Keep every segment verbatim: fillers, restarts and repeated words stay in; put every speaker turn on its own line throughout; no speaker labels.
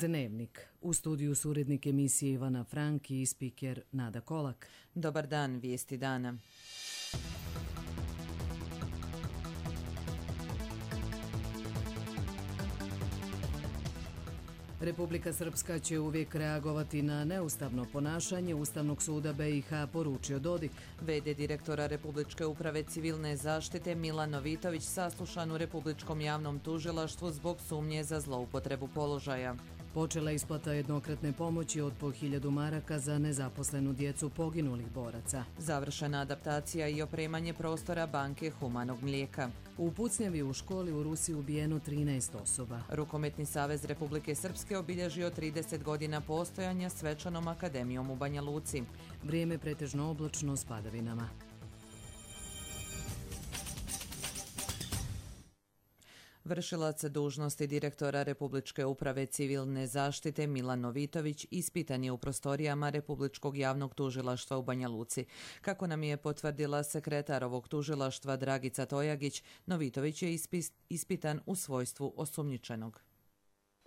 Dnevnik. U studiju su urednik emisije Ivana Frank i spiker Nada Kolak.
Dobar dan, vijesti dana.
Republika Srpska će uvijek reagovati na neustavno ponašanje Ustavnog suda B i H, poručio Dodik.
V D direktora Republičke uprave civilne zaštite Milan Novitović saslušan u Republičkom javnom tužilaštvu zbog sumnje za zloupotrebu položaja.
Počela isplata jednokratne pomoći od po hiljadu maraka za nezaposlenu djecu poginulih boraca.
Završena adaptacija i opremanje prostora banke humanog mlijeka.
U pucnjavi u školi u Rusiji ubijeno trinaest osoba.
Rukometni savez Republike Srpske obilježio trideset godina postojanja svečanom akademijom u Banja Luci.
Vrijeme pretežno oblačno s padavinama.
Vršilac dužnosti direktora Republičke uprave civilne zaštite Milan Novitović ispitan je u prostorijama Republičkog javnog tužilaštva u Banja Luci. Kako nam je potvrdila sekretar ovog tužilaštva Dragica Tojagić, Novitović je ispitan u svojstvu osumnjičenog.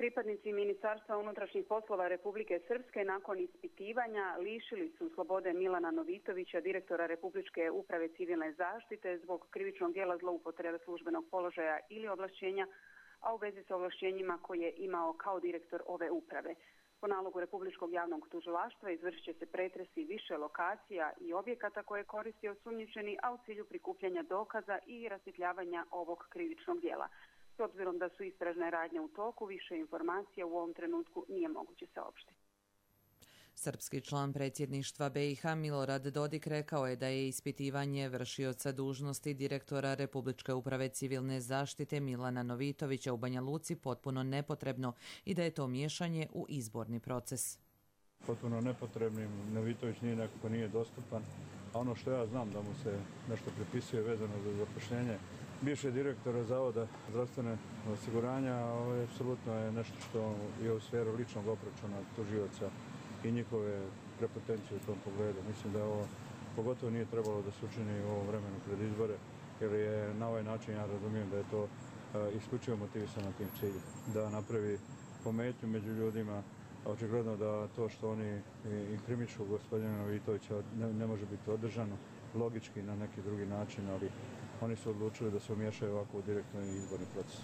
Pripadnici Ministarstva unutrašnjih poslova Republike Srpske nakon ispitivanja lišili su slobode Milana Novitovića, direktora Republičke uprave civilne zaštite, zbog krivičnog djela zloupotrebe službenog položaja ili ovlašćenja, a u vezi sa ovlašćenjima koje je imao kao direktor ove uprave. Po nalogu Republičkog javnog tužilaštva izvršit će se pretresi više lokacija i objekata koje koristi osumnjičeni, a u cilju prikupljanja dokaza i rasvjetljavanja ovog krivičnog djela. S obzirom da su istražne radnje u toku, više informacija u ovom trenutku nije moguće saopštiti.
Srpski član predsjedništva B i H Milorad Dodik rekao je da je ispitivanje vršioca dužnosti direktora Republičke uprave civilne zaštite Milana Novitovića u Banja Luci potpuno nepotrebno i da je to miješanje u izborni proces.
Potpuno nepotrebnim, Novitović nije nekako nije dostupan, a ono što ja znam da mu se nešto pripisuje vezano za zapošljenje bivšeg direktora Zavoda zdravstvene osiguranja, ovo apsolutno je nešto što je u sferu ličnog obračuna tužioca i njihove prepotencije u tom pogledu. Mislim da ovo pogotovo nije trebalo da se učini u ovom vremenu pred izbore, jer je na ovaj način, ja razumijem da je to isključivo motivisano tim ciljem, da napravi pometnju među ljudima. Očigledno da to što oni inkrimišu gospodina Novitovića ne, ne može biti održano logički na neki drugi način, ali oni su odlučili da se umiješaju ovako u direktno izborni proces.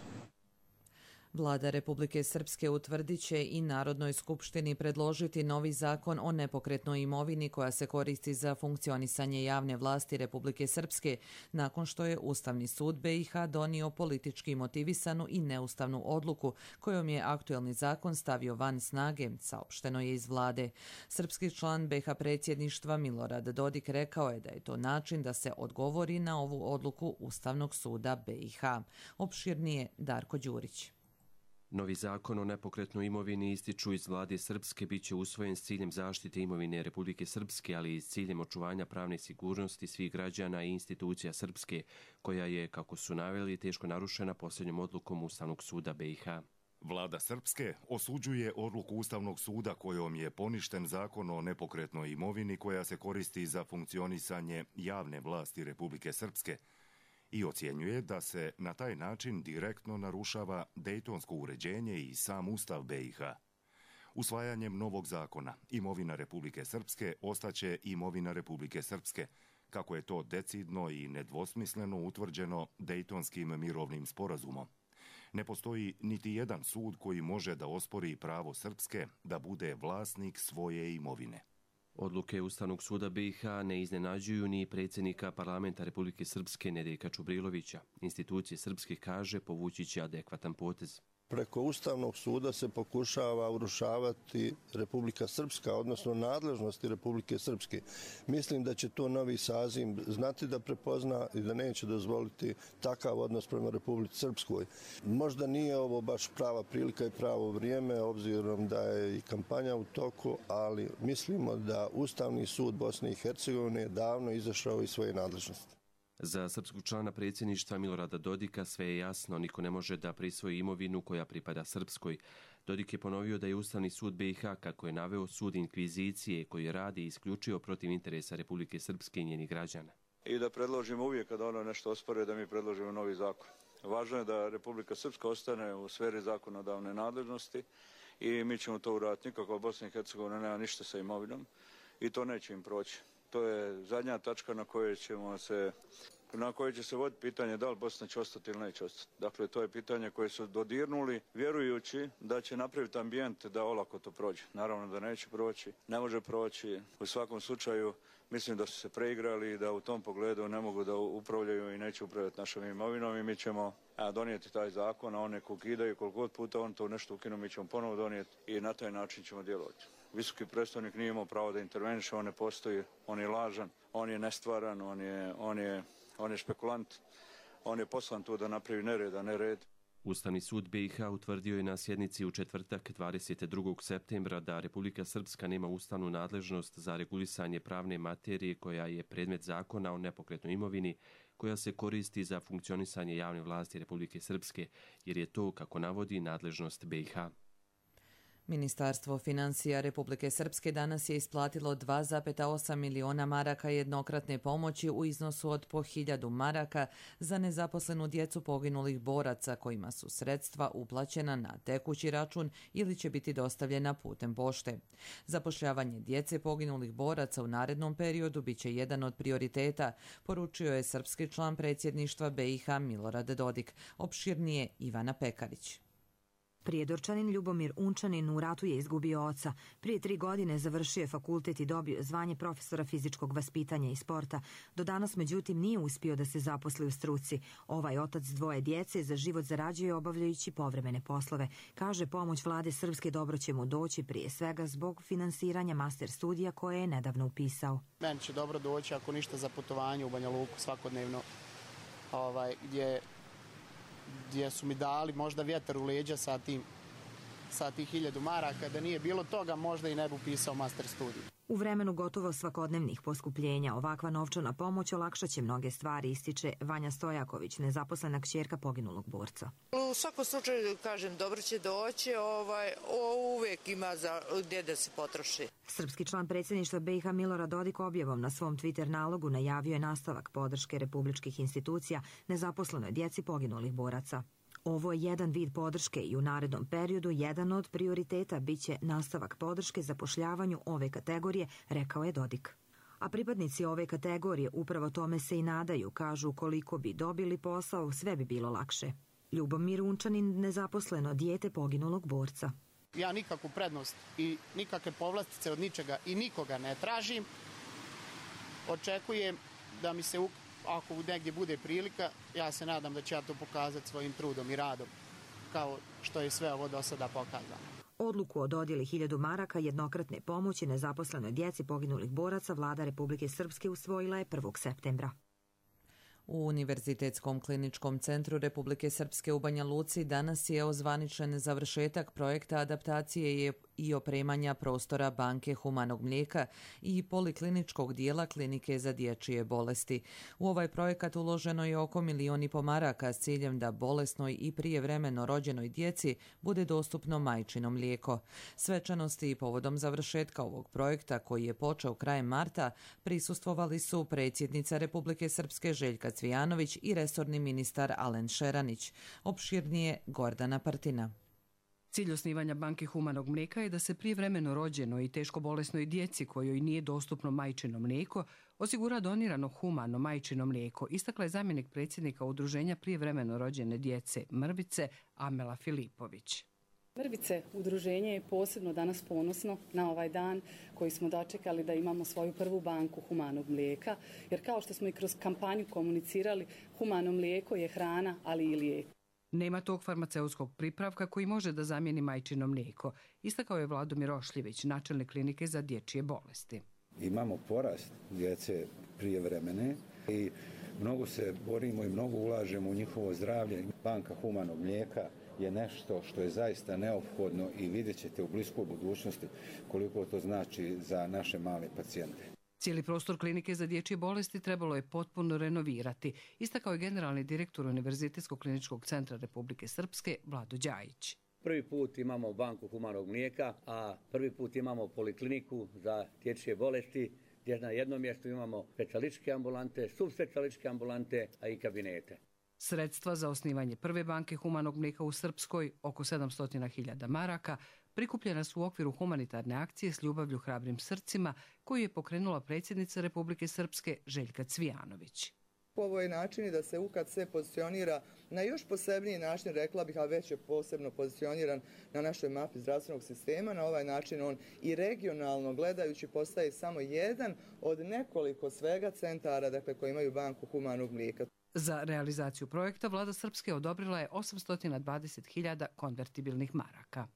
Vlada Republike Srpske utvrdit će i Narodnoj skupštini predložiti novi zakon o nepokretnoj imovini koja se koristi za funkcionisanje javne vlasti Republike Srpske, nakon što je Ustavni sud B i H donio politički motivisanu i neustavnu odluku kojom je aktuelni zakon stavio van snage, saopšteno je iz vlade. Srpski član B i H predsjedništva Milorad Dodik rekao je da je to način da se odgovori na ovu odluku Ustavnog suda B i H. Opširnije Darko Đurić.
Novi zakon o nepokretnoj imovini, ističu iz vlade Srpske, bit će usvojen s ciljem zaštite imovine Republike Srpske, ali i s ciljem očuvanja pravne sigurnosti svih građana i institucija Srpske, koja je, kako su naveli, teško narušena posljednjom odlukom Ustavnog suda B i H.
Vlada Srpske osuđuje odluku Ustavnog suda kojom je poništen zakon o nepokretnoj imovini koja se koristi za funkcionisanje javne vlasti Republike Srpske, i ocjenjuje da se na taj način direktno narušava dejtonsko uređenje i sam Ustav B i H. Usvajanjem novog zakona, imovina Republike Srpske ostaće imovina Republike Srpske, kako je to decidno i nedvosmisleno utvrđeno Dejtonskim mirovnim sporazumom. Ne postoji niti jedan sud koji može da ospori pravo Srpske da bude vlasnik svoje imovine.
Odluke Ustavnog suda B i H ne iznenađuju ni predsjednika parlamenta Republike Srpske Nedeljka Čubrilovića. Institucije Srpske, kaže, povući će adekvatan potez.
Preko Ustavnog suda se pokušava urušavati Republika Srpska, odnosno nadležnosti Republike Srpske. Mislim da će to novi saziv znati da prepozna i da neće dozvoliti takav odnos prema Republici Srpskoj. Možda nije ovo baš prava prilika i pravo vrijeme, obzirom da je i kampanja u toku, ali mislimo da Ustavni sud Bosne i Hercegovine je davno izašao iz svoje nadležnosti.
Za srpskog člana predsjedništva Milorada Dodika sve je jasno, niko ne može da prisvoji imovinu koja pripada Srpskoj. Dodik je ponovio da je Ustavni sud B i H, kako je naveo, sud inkvizicije koji radi isključivo protiv interesa Republike Srpske i njenih građana.
I da predložimo uvijek kada ono nešto osporuje da mi predložimo novi zakon. Važno je da Republika Srpska ostane u sferi zakonodavne nadležnosti i mi ćemo to uraditi. Nikako Bosna i Hercegovina nema ništa sa imovinom i to neće im proći. To je zadnja tačka na kojoj ćemo se na koje će se voditi pitanje da li Bosna će ostati ili neće ostati. Dakle, to je pitanje koje su dodirnuli vjerujući da će napraviti ambijent da olako to prođe. Naravno da neće proći, ne može proći. U svakom slučaju mislim da su se preigrali i da u tom pogledu ne mogu da upravljaju i neće upravljati našom imovinom i mi ćemo a, donijeti taj zakon, a one ukidaju koliko god puta on to nešto ukinu, mi ćemo ponovo donijeti i na taj način ćemo djelovati. Visoki predstavnik nije imao pravo da interveniše, on ne postoji, on je lažan, on je nestvaran, on je, on je On je špekulant, on je poslan tu da napravi nered, a ne red.
Ustavni sud B i H utvrdio je na sjednici u četvrtak dvadeset drugog septembra da Republika Srpska nema ustavnu nadležnost za regulisanje pravne materije koja je predmet zakona o nepokretnoj imovini koja se koristi za funkcionisanje javne vlasti Republike Srpske, jer je to, kako navodi, nadležnost B i H.
Ministarstvo financija Republike Srpske danas je isplatilo dva zarez osam miliona maraka jednokratne pomoći u iznosu od po hiljadu maraka za nezaposlenu djecu poginulih boraca kojima su sredstva uplaćena na tekući račun ili će biti dostavljena putem pošte. Zapošljavanje djece poginulih boraca u narednom periodu biće jedan od prioriteta, poručio je srpski član predsjedništva B i H Milorad Dodik. Opširnije Ivana Pekarić.
Prijedorčanin Ljubomir Unčanin u ratu je izgubio oca. Prije tri godine završio je fakultet i dobio zvanje profesora fizičkog vaspitanja i sporta. Do danas, međutim, nije uspio da se zaposli u struci. Ovaj otac dvoje djece za život zarađuje obavljajući povremene poslove. Kaže, pomoć vlade Srpske dobro će mu doći prije svega zbog finansiranja master studija koje je nedavno upisao.
Meni će dobro doći ako ništa za putovanje u Banja Luku svakodnevno, ovaj, gdje gdje su mi dali možda vjetar u leđa sa tim, sa tih hiljadu maraka. Da nije bilo toga, možda i ne bi upisao master studij.
U vremenu gotovo svakodnevnih poskupljenja ovakva novčana pomoć olakšat će mnoge stvari, ističe Vanja Stojaković, nezaposlena kćerka poginulog borca.
U svakom slučaju, kažem, dobro će doći, ovaj, uvijek ima za gdje da se potroši.
Srpski član predsjedništva B i H Milorad Dodik objavom na svom Twitter nalogu najavio je nastavak podrške republičkih institucija nezaposlenoj djeci poginulih boraca. Ovo je jedan vid podrške i u narednom periodu jedan od prioriteta biće nastavak podrške zapošljavanju ove kategorije, rekao je Dodik. A pripadnici ove kategorije upravo tome se i nadaju, kažu koliko bi dobili posao, sve bi bilo lakše. Ljubomir Unčanin, nezaposleno dijete poginulog borca.
Ja nikakvu prednost i nikakve povlastice od ničega i nikoga ne tražim. Očekujem da mi se, ako negdje bude prilika, ja se nadam da će ja to pokazati svojim trudom i radom, kao što je sve ovo do sada pokazano.
Odluku o dodjeli hiljadu maraka jednokratne pomoći nezaposlenoj djeci poginulih boraca vlada Republike Srpske usvojila je prvog septembra.
U Univerzitetskom kliničkom centru Republike Srpske u Banja Luci danas je ozvaničen završetak projekta adaptacije i opremanja prostora banke humanog mlijeka i polikliničkog dijela klinike za dječje bolesti. U ovaj projekat uloženo je oko milion i po maraka s ciljem da bolesnoj i prijevremeno rođenoj djeci bude dostupno majčino mlijeko. Svečanosti i povodom završetka ovog projekta, koji je počeo krajem marta, prisustvovali su predsjednica Republike Srpske Željka Cvijanović i resorni ministar Alen Šeranić. Opširnije Gordana Partina.
Cilj osnivanja banke humanog mlijeka je da se prijevremeno rođenoj i teško bolesnoj djeci kojoj nije dostupno majčino mlijeko osigura donirano humano majčino mlijeko, istakla je zamjenik predsjednika Udruženja prijevremeno rođene djece Mrvice Amela Filipović.
Mrvice udruženje je posebno danas ponosno na ovaj dan koji smo dočekali da imamo svoju prvu banku humanog mlijeka, jer kao što smo i kroz kampanju komunicirali, humano mlijeko je hrana, ali i lijek.
Nema tog farmaceutskog pripravka koji može da zamijeni majčino mlijeko, istakao je Vladomir Ošljević, načelnik klinike za dječje bolesti.
Imamo porast djece prijevremene i mnogo se borimo i mnogo ulažemo u njihovo zdravlje. Banka humanog mlijeka je nešto što je zaista neophodno i vidjet ćete u bliskoj budućnosti koliko to znači za naše male pacijente.
Cijeli prostor klinike za dječje bolesti trebalo je potpuno renovirati, istakao je generalni direktor Univerzitetskog kliničkog centra Republike Srpske Vlado Đajić.
Prvi put imamo banku humanog mlijeka, a prvi put imamo polikliniku za dječje bolesti, gdje na jednom mjestu imamo specijalističke ambulante, subspecijalističke ambulante, a i kabinete.
Sredstva za osnivanje prve banke humanog mlijeka u Srpskoj, oko sedamsto hiljada maraka, prikupljena su u okviru humanitarne akcije S ljubavlju hrabrim srcima koju je pokrenula predsjednica Republike Srpske Željka Cvijanović.
Ovo je način da se U K A C pozicionira na još posebniji način, rekla bih, a već je posebno pozicioniran na našoj mapi zdravstvenog sistema. Na ovaj način on i regionalno gledajući postaje samo jedan od nekoliko svega centara, dakle, koji imaju banku humanog mlijeka.
Za realizaciju projekta vlada Srpske odobrila je osamsto dvadeset hiljada konvertibilnih maraka.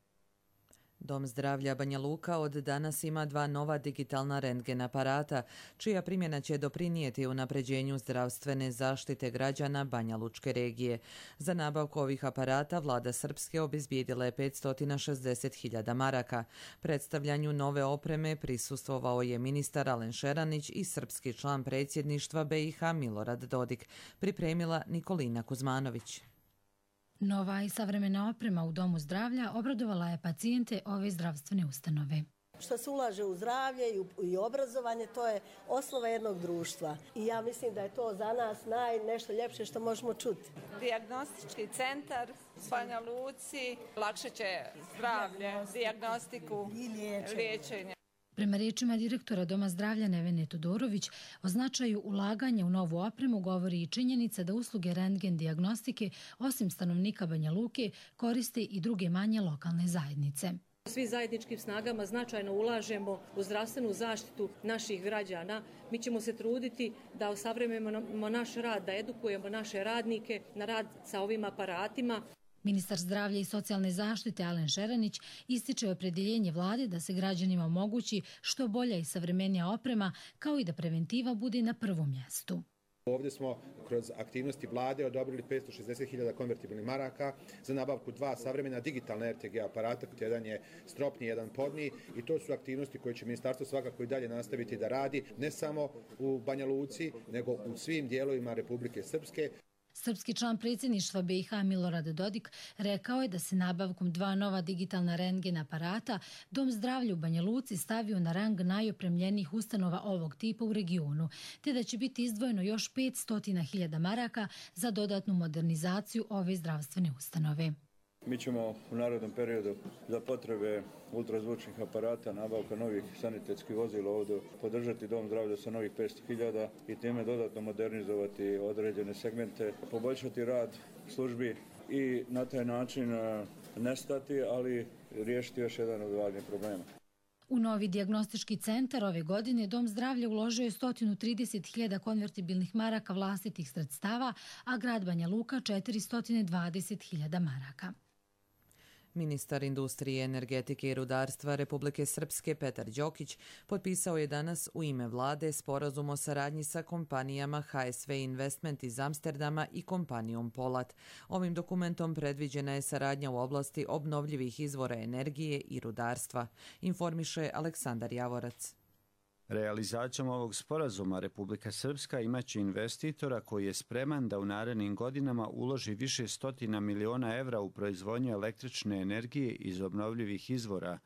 Dom zdravlja Banja Luka od danas ima dva nova digitalna rentgen aparata, čija primjena će doprinijeti unapređenju zdravstvene zaštite građana Banja Lučke regije. Za nabavku ovih aparata vlada Srpske obezbijedila je petsto šezdeset hiljada maraka. Predstavljanju nove opreme prisustvovao je ministar Alen Šeranić i srpski član predsjedništva B i H Milorad Dodik, pripremila Nikolina Kuzmanović.
Nova i savremena oprema u Domu zdravlja obradovala je pacijente ove zdravstvene ustanove.
Što se ulaže u zdravlje i obrazovanje, to je osnova jednog društva. I ja mislim da je to za nas naj nešto ljepše što možemo čuti.
Dijagnostički centar u Banja Luci, lakše će zdravlje, dijagnostiku i liječenje.
Prema riječima direktora Doma zdravlja Nevene Todorović, o značaju ulaganja u novu opremu govori i činjenica da usluge rentgen dijagnostike, osim stanovnika Banja Luke, koriste i druge manje lokalne zajednice.
Svi zajedničkim snagama značajno ulažemo u zdravstvenu zaštitu naših građana. Mi ćemo se truditi da osavremenimo naš rad, da edukujemo naše radnike na rad sa ovim aparatima.
Ministar zdravlja i socijalne zaštite Alen Šeranić ističe opredjeljenje vlade da se građanima omogući što bolja i savremenija oprema, kao i da preventiva bude na prvom mjestu.
Ovdje smo kroz aktivnosti vlade odobrili petsto šezdeset hiljada konvertibilnih maraka za nabavku dva savremena digitalna R T G aparata, jedan je stropni, jedan podni, i to su aktivnosti koje će ministarstvo svakako i dalje nastaviti da radi, ne samo u Banja Luci, nego u svim dijelovima Republike Srpske.
Srpski član predsjedništva B i H Milorad Dodik rekao je da se nabavkom dva nova digitalna rentgen aparata Dom zdravlja u Banja Luci stavio na rang najopremljenijih ustanova ovog tipa u regionu, te da će biti izdvojeno još petsto hiljada maraka za dodatnu modernizaciju ove zdravstvene ustanove.
Mi ćemo u narednom periodu za potrebe ultrazvučnih aparata, nabavka novih sanitetskih vozila ovdje podržati Dom zdravlja sa novih petsto hiljada i time dodatno modernizovati određene segmente, poboljšati rad službi i na taj način nestati, ali riješiti još jedan od važnijih problema.
U novi dijagnostički centar ove godine Dom zdravlja uložio je sto trideset hiljada konvertibilnih maraka vlastitih sredstava, a grad Banja Luka četiristo dvadeset hiljada maraka.
Ministar industrije, energetike i rudarstva Republike Srpske Petar Đokić potpisao je danas u ime vlade sporazum o saradnji sa kompanijama H S V Investment iz Amsterdama i kompanijom Polat. Ovim dokumentom predviđena je saradnja u oblasti obnovljivih izvora energije i rudarstva, informiše Aleksandar Javorac.
Realizacijom ovog sporazuma Republika Srpska imaće investitora koji je spreman da u narednim godinama uloži više stotina miliona evra u proizvodnju električne energije iz obnovljivih izvora.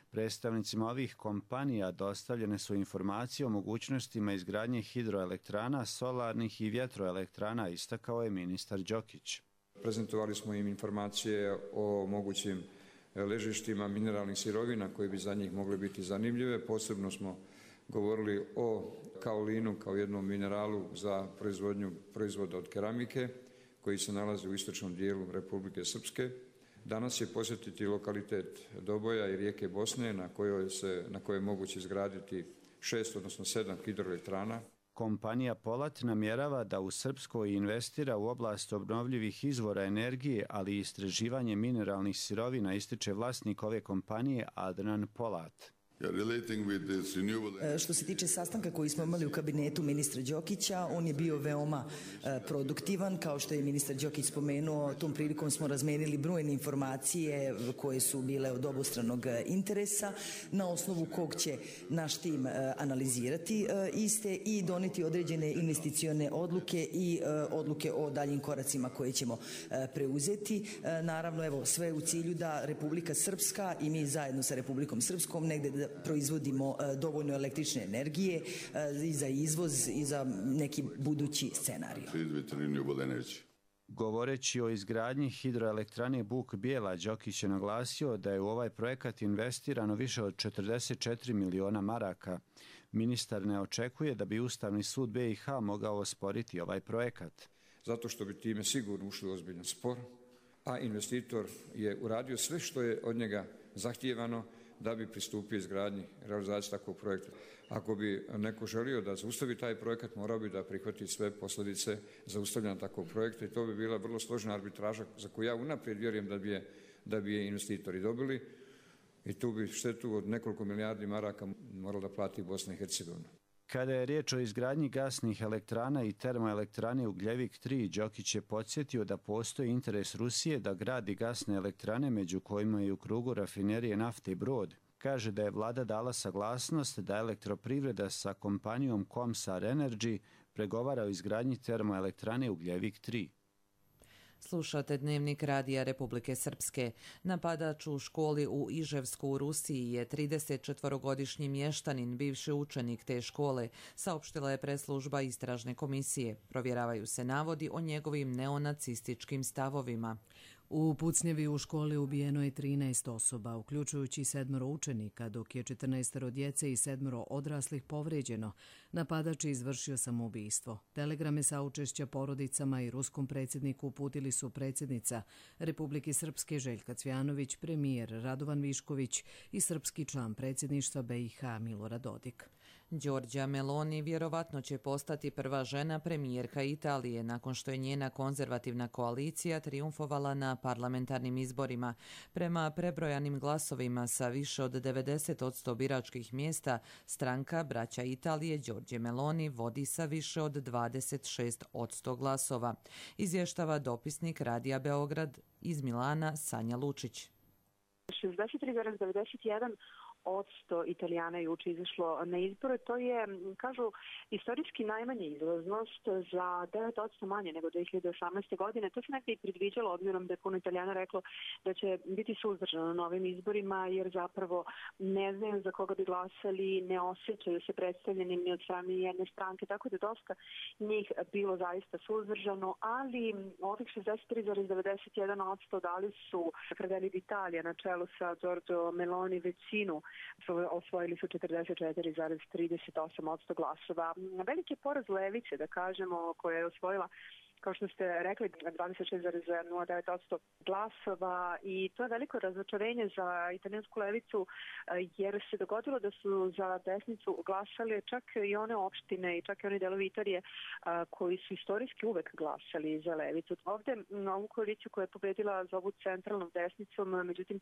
Predstavnicima ovih kompanija dostavljene su informacije o mogućnostima izgradnje hidroelektrana, solarnih i vjetroelektrana, istakao je ministar Đokić.
Prezentovali smo im informacije o mogućim ležištima mineralnih sirovina koji bi za njih mogli biti zanimljive. Posebno smo govorili o kaolinu kao jednom mineralu za proizvodnju proizvoda od keramike koji se nalazi u istočnom dijelu Republike Srpske. Danas je posjetiti lokalitet Doboja i rijeke Bosne na kojoj se, na kojoj je moguće izgraditi šest, odnosno sedam hidroelektrana.
Kompanija Polat namjerava da u Srpskoj investira u oblast obnovljivih izvora energije, ali i istraživanje mineralnih sirovina, ističe vlasnik ove kompanije Adnan Polat.
Što se tiče sastanka koji smo imali u kabinetu ministra Đokića, on je bio veoma produktivan. Kao što je ministar Đokić spomenuo, tom prilikom smo razmenili brojne informacije koje su bile od obostranog interesa, na osnovu kog će naš tim analizirati iste i doneti određene investicione odluke i odluke o daljim koracima koje ćemo preuzeti. Naravno, evo, sve u cilju da Republika Srpska i mi zajedno sa Republikom Srpskom negde da proizvodimo dovoljno električne energije i za izvoz i za neki budući scenarij.
Govoreći o izgradnji hidroelektrane Buk Bijela, Đokić je naglasio da je u ovaj projekat investirano više od četrdeset četiri miliona maraka. Ministar ne očekuje da bi Ustavni sud be i ha mogao osporiti ovaj projekat.
Zato što bi time sigurno ušli u ozbiljan spor, a investitor je uradio sve što je od njega zahtijevano da bi pristupio izgradnji realizaciji takvog projekta. Ako bi neko želio da zaustavi taj projekat, morao bi da prihvati sve posljedice zaustavljanja takvog projekta i to bi bila vrlo složena arbitraža za koju ja unaprijed vjerujem da bi je, da bi je investitori dobili i tu bi štetu od nekoliko milijardi maraka morala da plati Bosna i Hercegovina.
Kada je riječ o izgradnji gasnih elektrana i termoelektrane Ugljevik tri, Đokić je podsjetio da postoji interes Rusije da gradi gasne elektrane, među kojima je u krugu rafinerije nafte i Brod. Kaže da je vlada dala saglasnost da elektroprivreda sa kompanijom Komsar Energy pregovara o izgradnji termoelektrane Ugljevik tri.
Slušate Dnevnik Radija Republike Srpske. Napadač u školi u Iževsku u Rusiji je tridesetčetvorogodišnji mještanin, bivši učenik te škole, saopštila je preslužba istražne komisije. Provjeravaju se navodi o njegovim neonacističkim stavovima.
U pucnjevi u školi ubijeno je trinaest osoba, uključujući sedmoro učenika, dok je četrnaestoro djece i sedmoro odraslih povrijeđeno. Napadač je izvršio samoubistvo. Telegrame saučešća porodicama i ruskom predsjedniku uputili su predsjednica Republike Srpske Željka Cvjanović, premijer Radovan Višković i srpski član predsjedništva be i ha Milorad Dodik.
Giorgia Meloni vjerovatno će postati prva žena premijerka Italije nakon što je njena konzervativna koalicija trijumfovala na parlamentarnim izborima. Prema prebrojanim glasovima sa više od devedeset posto biračkih mjesta, stranka Braća Italije Giorgia Meloni vodi sa više od dvadeset šest posto glasova. Izvještava dopisnik Radija Beograd iz Milana Sanja Lučić.
šezdeset tri zarez devedeset jedan odsto Italijana je juče izašlo na izbore. To je, kažu, istorijski najmanja izlaznost za devet odsto manje nego dve hiljade osamnaeste. godine. To se nekada i predviđalo, obzirom da je puno Italijana reklo da će biti suzdržano na ovim izborima, jer zapravo ne znaju za koga bi glasali, ne osjećaju se predstavljenim ni od strane jedne stranke, tako da dosta njih bilo zaista suzdržano, ali ovih šezdeset tri zarez devedeset jedan odsto dali su Fratelli d'Italia na čelu sa Giorgio Meloni većinu, osvojili su četrdeset četiri zarez trideset osam odsto glasova. Veliki je poraz levice, da kažemo, koja je osvojila, kao što ste rekli, dvadeset šest zarez nula devet odsto glasova i to je veliko razočarenje za italijansku levicu, jer se dogodilo da su za desnicu glasali čak i one opštine i čak i one delovi Italije koji su istorijski uvek glasali za levicu. Ovde na ovu koaliciju koja je pobedila zovu centralnom desnicom, međutim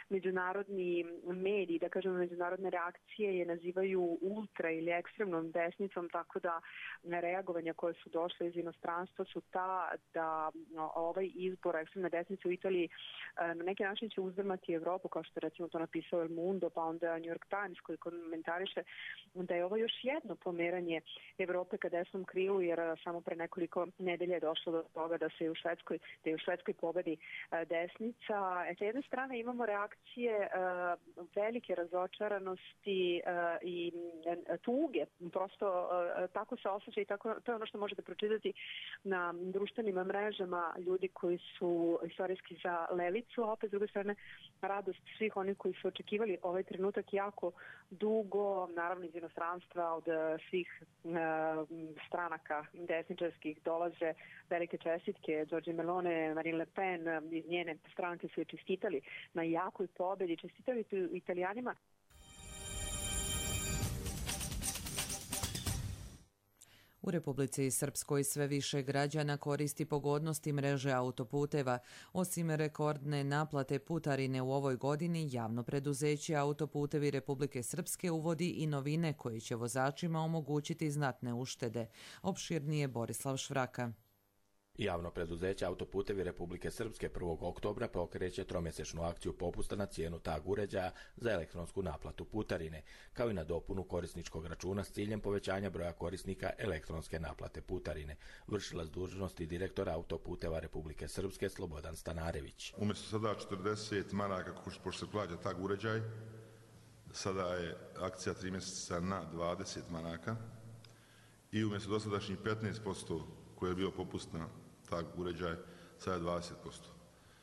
međunarodni mediji, da kažemo međunarodne reakcije je nazivaju ultra ili ekstremnom desnicom, tako da reagovanja koje su došle iz inostranstva su ta da ovaj izbor ekstremne desnice u Italiji na neki način će uzdrmati Evropu, kao što je recimo to napisao El Mundo, pa onda New York Times koji komentariše da je ovo još jedno pomeranje Evrope ka desnom krilu, jer samo pre nekoliko nedelja je došlo do toga da se u Švedskoj, da je u Švedskoj pobedi desnica. E, sa jedne strane imamo reakcije velike razočaranosti i tuge, prosto tako se osjeća i tako, to je ono što možete pročitati na društvenim mrežama ljudi koji su istorijski za levicu, a opet s druge strane radost svih onih koji su očekivali ovaj trenutak jako dugo, naravno iz inostranstva od svih e, stranaka desničarskih dolaze velike čestitke. Giorgia Meloni, Marine Le Pen iz njene stranke su je čestitali na jakoj pobedi, čestitali su Italijanima.
U Republici Srpskoj sve više građana koristi pogodnosti mreže autoputeva. Osim rekordne naplate putarine u ovoj godini, javno preduzeće Autoputevi Republike Srpske uvodi i novine koje će vozačima omogućiti znatne uštede. Opširnije Borislav Švraka.
Javno preduzeće Autoputevi Republike Srpske prvog oktobra pokreće tromjesečnu akciju popusta na cijenu tag uređaja za elektronsku naplatu putarine, kao i na dopunu korisničkog računa s ciljem povećanja broja korisnika elektronske naplate putarine. Vršilac dužnosti direktora Autoputeva Republike Srpske Slobodan Stanarević.
Umjesto sada četrdeset maraka, pošto se plaća tag uređaj, sada je akcija tri mjeseca na dvadeset maraka i umjesto dosadašnjih petnaest posto koje je bio popust na tag uređaj, sada je dvadeset posto.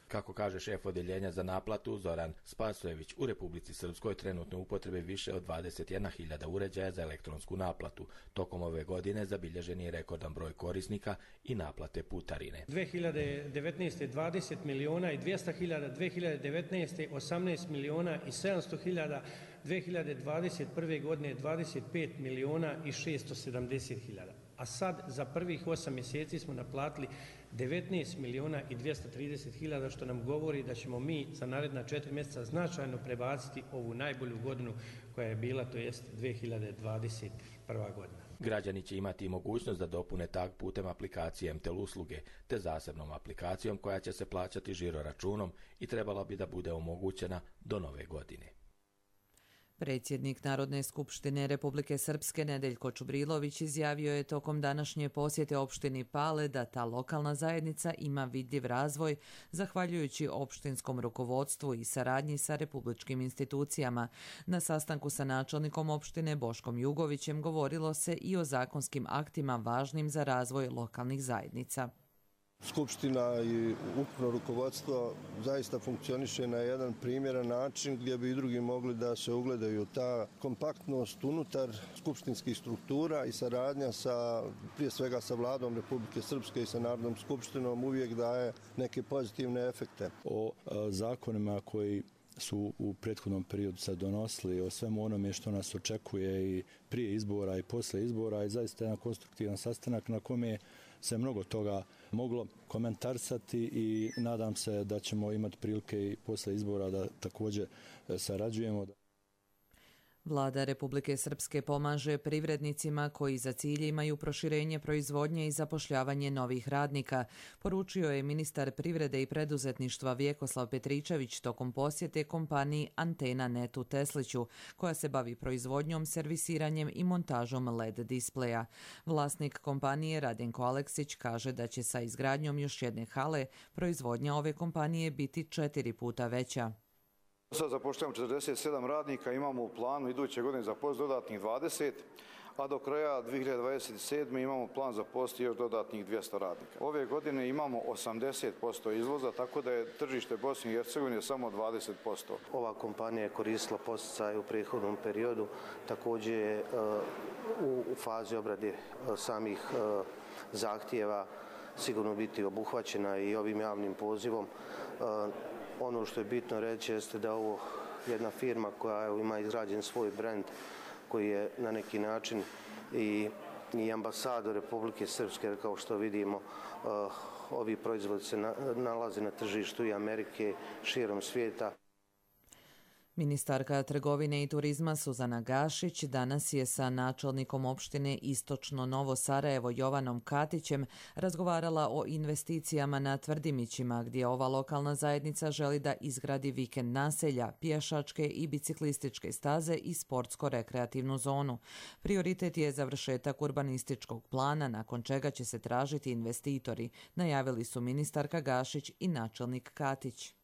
Kako kaže šef odjeljenja za naplatu Zoran Spasojević, u Republici Srpskoj trenutno upotrebe više od dvadeset jedna hiljada uređaja za elektronsku naplatu. Tokom ove godine zabilježen je rekordan broj korisnika i naplate putarine.
dvije hiljade devetnaeste. dvadeset miliona i dvjesto hiljada, dvije hiljade devetnaeste. osamnaest miliona i sedamsto hiljada, dvije hiljade dvadeset prve. godine dvadeset pet miliona i šesto sedamdeset hiljada. A sad za prvih osam mjeseci smo naplatili devetnaest miliona i dvjesto trideset hiljada, što nam govori da ćemo mi za naredna četiri mjeseca značajno prebaciti ovu najbolju godinu koja je bila, to jest dvije hiljade dvadeset prva. godina.
Građani će imati mogućnost da dopune tag putem aplikacije M T L usluge, te zasebnom aplikacijom koja će se plaćati žiro računom i trebala bi da bude omogućena do nove godine.
Predsjednik Narodne skupštine Republike Srpske Nedeljko Čubrilović izjavio je tokom današnje posjete opštini Pale da ta lokalna zajednica ima vidljiv razvoj zahvaljujući opštinskom rukovodstvu i saradnji sa republičkim institucijama. Na sastanku sa načelnikom opštine Boškom Jugovićem govorilo se i o zakonskim aktima važnim za razvoj lokalnih zajednica.
Skupština i ukupno rukovodstvo zaista funkcioniše na jedan primjeran način gdje bi i drugi mogli da se ugledaju. Ta kompaktnost unutar skupštinskih struktura i saradnja sa, prije svega sa vladom Republike Srpske i sa Narodnom skupštinom uvijek daje neke pozitivne efekte.
O zakonima koji su u prethodnom periodu sad donosili, o svemu onome što nas očekuje i prije izbora i posle izbora, i zaista jedan konstruktivan sastanak na kome se mnogo toga moglo komentarisati i nadam se da ćemo imati prilike i posle izbora da također sarađujemo.
Vlada Republike Srpske pomaže privrednicima koji za cilj imaju proširenje proizvodnje i zapošljavanje novih radnika, poručio je ministar privrede i preduzetništva Vjekoslav Petričević tokom posjete kompaniji Antena Net u Tesliću, koja se bavi proizvodnjom, servisiranjem i montažom L E D displeja. Vlasnik kompanije Radenko Aleksić kaže da će sa izgradnjom još jedne hale proizvodnja ove kompanije biti četiri puta veća.
Sad zapošljavamo četrdeset sedam radnika, imamo u planu iduće godine zaposliti dodatnih dvadeset, a do kraja dvije hiljade dvadeset sedme. imamo plan zaposliti još dodatnih dvjesto radnika. Ove godine imamo osamdeset posto izvoza, tako da je tržište Bosne i Hercegovine samo dvadeset posto.
Ova kompanija je koristila podsticaj u prethodnom periodu, također je u fazi obrade samih zahtjeva sigurno biti obuhvaćena i ovim javnim pozivom. Ono što je bitno reći jeste da ovo jedna firma koja ima izgrađen svoj brend, koji je na neki način i, i ambasador Republike Srpske, kao što vidimo, uh, ovi proizvodi se na, nalaze na tržištu i Amerike, širom svijeta.
Ministarka trgovine i turizma Suzana Gašić danas je sa načelnikom opštine Istočno Novo Sarajevo Jovanom Katićem razgovarala o investicijama na Tvrdimićima, gdje ova lokalna zajednica želi da izgradi vikend naselja, pješačke i biciklističke staze i sportsko-rekreativnu zonu. Prioritet je završetak urbanističkog plana, nakon čega će se tražiti investitori, najavili su ministarka Gašić i načelnik Katić.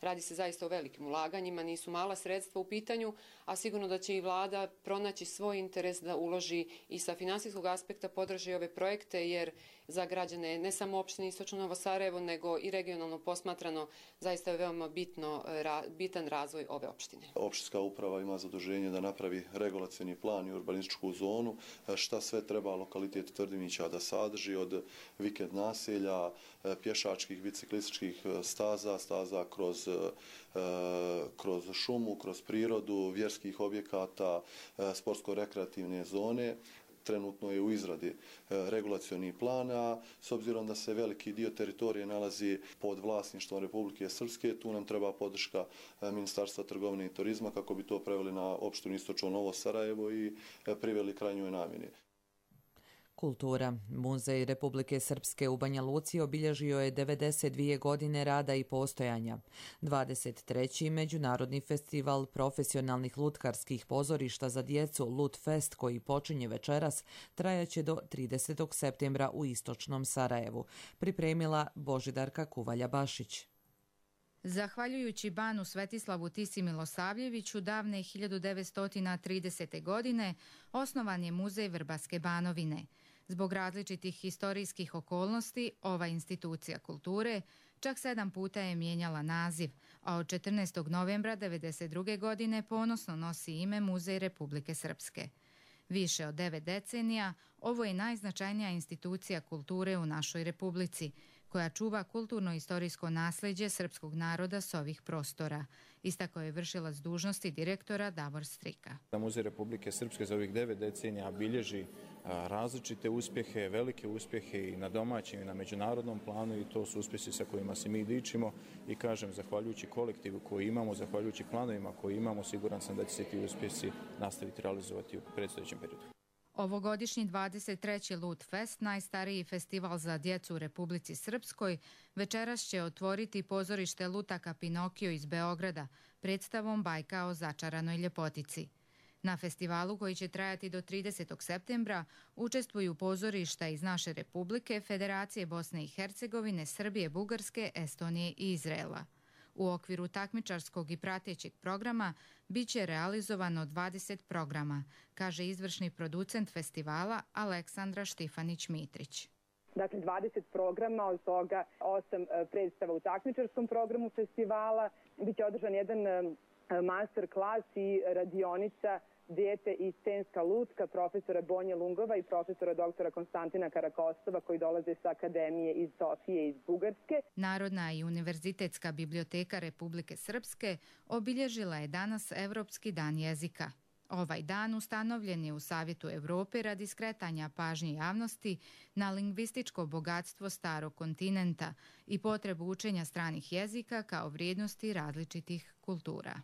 Radi se zaista o velikim ulaganjima, nisu mala sredstva u pitanju, a sigurno da će i vlada pronaći svoj interes da uloži i sa finansijskog aspekta podrži ove projekte, jer za građane ne samo opštine Istočno Novo Sarajevo, nego i regionalno posmatrano zaista je veoma bitno, bitan razvoj ove opštine.
Opštinska uprava ima zaduženje da napravi regulacioni plan i urbanističku zonu, šta sve treba lokalitet Tvrdimića da sadrži, od vikend naselja, pješačkih, biciklističkih staza, staza kroz kroz šumu, kroz prirodu, vjerskih objekata, sportsko-rekreativne zone. Trenutno je u izradi regulacioni plan, a s obzirom da se veliki dio teritorije nalazi pod vlasništvom Republike Srpske, tu nam treba podrška Ministarstva trgovine i turizma kako bi to preveli na opštinu Istočno Novo Sarajevo i priveli krajnjoj namjeni.
Kultura. Muzej Republike Srpske u Banja Luci obilježio je devedeset dvije godine rada i postojanja. dvadeset treći Međunarodni festival profesionalnih lutkarskih pozorišta za djecu Lutfest, koji počinje večeras, trajaće do tridesetog septembra u Istočnom Sarajevu. Pripremila Božidarka Kuvalja-Bašić.
Zahvaljujući banu Svetislavu Tisi Milosavljeviću, davne hiljadu devetsto tridesete. godine osnovan je muzej Vrbaske Banovine. Zbog različitih historijskih okolnosti, ova institucija kulture čak sedam puta je mijenjala naziv, a od četrnaestog novembra devedeset druge godine ponosno nosi ime Muzej Republike Srpske. Više od devet decenija, ovo je najznačajnija institucija kulture u našoj republici, koja čuva kulturno-istorijsko nasljeđe srpskog naroda s ovih prostora, istakao je vršilac dužnosti direktora Davor Strika.
Muzej Republike Srpske za ovih devet decenija bilježi različite uspjehe, velike uspjehe i na domaćem i na međunarodnom planu i to su uspjesi sa kojima se mi dičimo i kažem, zahvaljujući kolektivu koji imamo, zahvaljujući planovima koji imamo, siguran sam da će se ti uspjesi nastaviti realizovati u predstojećem periodu.
Ovogodišnji dvadeset treći Lut Fest, najstariji festival za djecu u Republici Srpskoj, večeras će otvoriti pozorište Lutaka Pinokio iz Beograda predstavom Bajka o začaranoj ljepotici. Na festivalu, koji će trajati do tridesetog septembra, učestvuju pozorišta iz naše republike, Federacije Bosne i Hercegovine, Srbije, Bugarske, Estonije i Izraela. U okviru takmičarskog i pratećeg programa bit će realizovano dvadeset programa, kaže izvršni producent festivala Aleksandra Štifanić-Mitrić.
Dakle, dvadeset programa, od toga osam predstava u takmičarskom programu festivala. Biće održan jedan master klas i radionica Dijete i scenska lutka profesora Bonje Lungova i profesora doktora Konstantina Karakostova koji dolaze sa Akademije iz Sofije iz Bugarske.
Narodna i univerzitetska biblioteka Republike Srpske obilježila je danas Evropski dan jezika. Ovaj dan ustanovljen je u Savjetu Evrope radi skretanja pažnje javnosti na lingvističko bogatstvo starog kontinenta i potrebu učenja stranih jezika kao vrijednosti različitih kultura.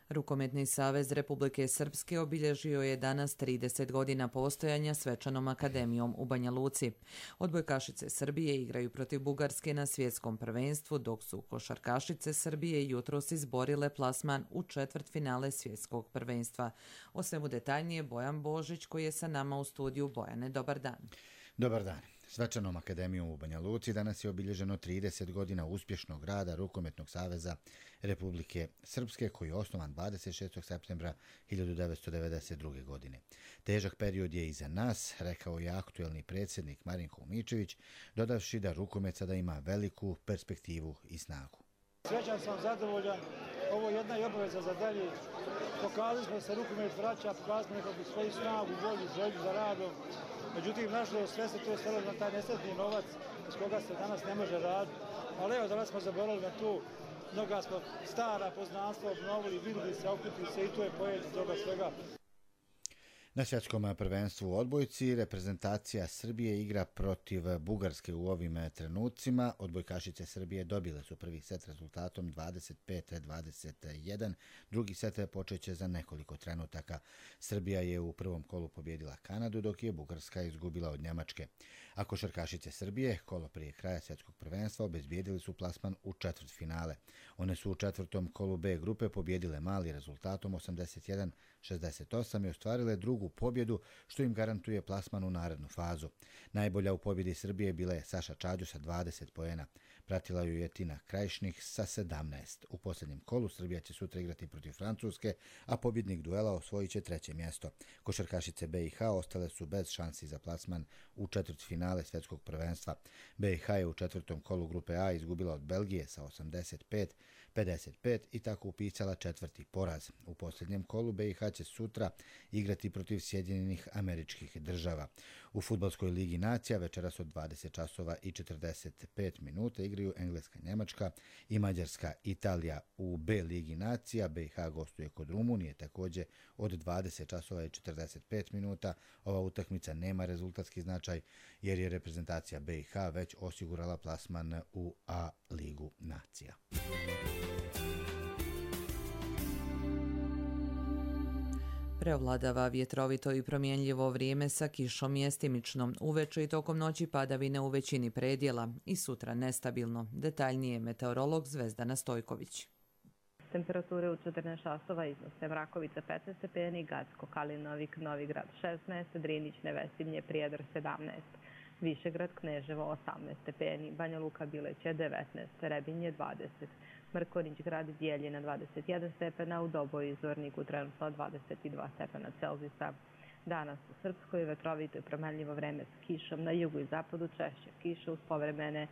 Rukometni savez Republike Srpske obilježio je danas trideset godina postojanja svečanom akademijom u Banja Luci. Odbojkašice Srbije igraju protiv Bugarske na svjetskom prvenstvu, dok su košarkašice Srbije jutros izborile plasman u četvrtfinale svjetskog prvenstva. O svemu detaljnije Bojan Božić koji je sa nama u studiju. Bojane, dobar dan.
Dobar dan. Svečanom akademijom u Banja Luci danas je obilježeno trideset godina uspješnog rada Rukometnog saveza Republike Srpske koji je osnovan dvadeset šestog septembra hiljadu devetsto devedeset druge. godine. Težak period je iza nas, rekao je aktuelni predsjednik Marinko Umičević, dodavši da rukomet sada ima veliku perspektivu i snagu.
Srećan sam, zadovoljan. Ovo je jedna i obaveza za dalje. Pokazali smo da se rukomet vraća, pokazali smo nekako svoju snagu, volju, želju za radom. Međutim, nažalost, sve se to stalo na taj nesretni novac iz koga se danas ne može raditi. Ali evo, danas smo zaboravili na tu, mnoga smo stara poznanstva obnovili, vidjeli se, okupili se i to je pojet toga svega.
Na svjetskom prvenstvu u odbojci reprezentacija Srbije igra protiv Bugarske u ovim trenucima. Odbojkašice Srbije dobile su prvi set rezultatom dvadeset pet dvadeset jedan. Drugi set počeće za nekoliko trenutaka. Srbija je u prvom kolu pobjedila Kanadu, dok je Bugarska izgubila od Njemačke. A košarkašice Srbije, kolo prije kraja svjetskog prvenstva, obezbijedili su plasman u četvrtfinale. One su u četvrtom kolu B grupe pobjedile Mali rezultatom osamdeset jedan šezdeset osam i ostvarile drugu pobjedu, što im garantuje plasman u narednu fazu. Najbolja u pobjedi Srbije bila je Saša Čađu sa dvadeset poena. Pratila ju je Tina Krajišnik sa sedamnaest. U posljednjem kolu Srbija će sutra igrati protiv Francuske, a pobjednik duela osvojit će treće mjesto. Košarkašice B i H ostale su bez šansi za plasman u četvrtfinale svjetskog prvenstva. B i H je u četvrtom kolu grupe A izgubila od Belgije sa osamdeset pet pedeset pet i tako upisala četvrti poraz. U posljednjem kolu B i H će sutra igrati protiv Sjedinjenih Američkih Država. U fudbalskoj ligi nacija večeras od dvadeset časova i četrdeset pet minuta igraju Engleska, Njemačka i Mađarska, Italija. U B ligi nacija B i H gostuje kod Rumunije također od dvadeset časova i četrdeset pet minuta. Ova utakmica nema rezultatski značaj jer je reprezentacija B i H već osigurala plasman u A ligu nacija.
Preovladava vjetrovito i promjenljivo vrijeme sa kišom mjestimično. Uveče i tokom noći padavine u većini predjela i sutra nestabilno. Detaljnije meteorolog Zvezdana Stojković.
Temperature u četrnaest časova iznose Mrakovica petnaest stepeni, Gacko, Kalinovik, Novigrad šesnaest, Drinić, Nevesimlje, Prijedor sedamnaest, Višegrad, Kneževo osamnaest stepeni, Banja Luka, Bileće devetnaest, Rebinje dvadeset, Mrkonjić grad Bijeljina dvadeset jedan stepena, u Doboju i Zvorniku trenutno dvadeset dva stepena Celzijusa. Danas u Srpskoj vetrovito i promenljivo vreme s kišom, na jugu i zapadu češće kiša uz povremene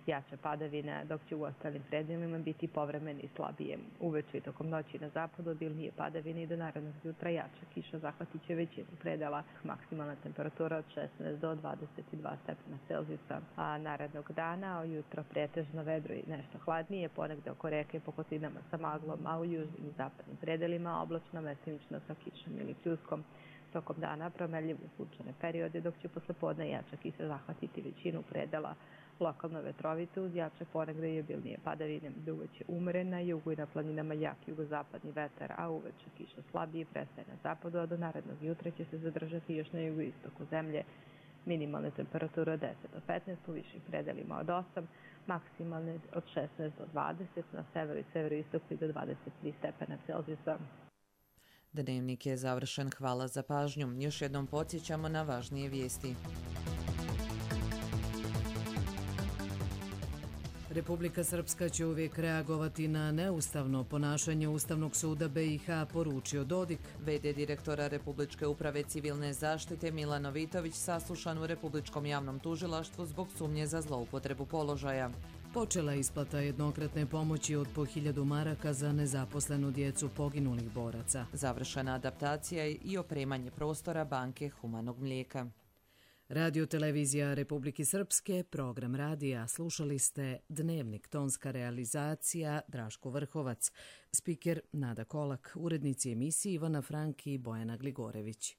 jače padavine, dok će u ostalim predelima biti povremeni i slabije. Uveče i tokom noći na zapadu obilnije padavine i do narednog jutra jača kiša zahvatit će većinu predela. Maksimalna temperatura od šesnaest do dvadeset dva stepena Celzijusa. A narednog dana ujutro pretežno vedro i nešto hladnije, ponegde oko reke po kotlinama sa maglom, a u južnim i zapadnim predelima oblačno mestimično sa kišom ili pljuskom. Tokom dana promenljivo sunčane periode, dok će posle podne jača kiša zahvatiti većinu predela. Lokalno vetrovito uz jače ponegde i obilnije padavine, uveče umeren na jugu i na planinama jak jugozapadni vetar, a uveče kiša slabije prestaje na zapadu, a do narednog jutra će se zadržati još na jugoistoku zemlje. Minimalne temperature od deset do petnaest, u višim predelima od osam, maksimalne od šesnaest do dvadeset, na severu i severoistoku i do dvadeset tri stepena Celzijusa.
Dnevnik je završen. Hvala za pažnju. Još jednom podsjećamo na važnije vijesti.
Republika Srpska će uvijek reagovati na neustavno ponašanje Ustavnog suda B i H, poručio Dodik.
ve de direktora Republičke uprave civilne zaštite Milan Novitović saslušan u Republičkom javnom tužilaštvu zbog sumnje za zloupotrebu položaja.
Počela isplata jednokratne pomoći od po hiljadu maraka za nezaposlenu djecu poginulih boraca.
Završena adaptacija i opremanje prostora banke humanog mlijeka.
Radio televizija Republike Srpske, program radija, slušali ste Dnevnik, tonska realizacija Draško Vrhovac, spiker Nada Kolak, urednici emisije Ivana Franki i Bojana Gligorević.